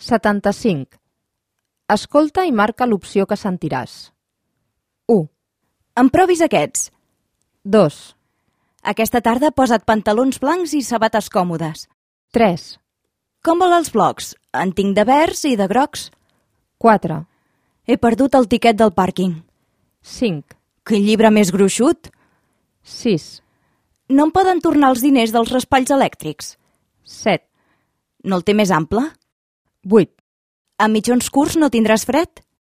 75. Escolta i marca l'opció que sentiràs. 1, Em provis aquests. 2, Aquesta tarda posa't pantalons blancs i sabates còmodes. 3, Com vol els blocs? En tinc de verds i de grocs. 4, He perdut el tiquet del pàrquing. 5, Quin llibre més gruixut! 6, No em poden tornar els diners dels raspalls elèctrics. 7, No el té més ample? 8. A mitjons curts no tindràs fred?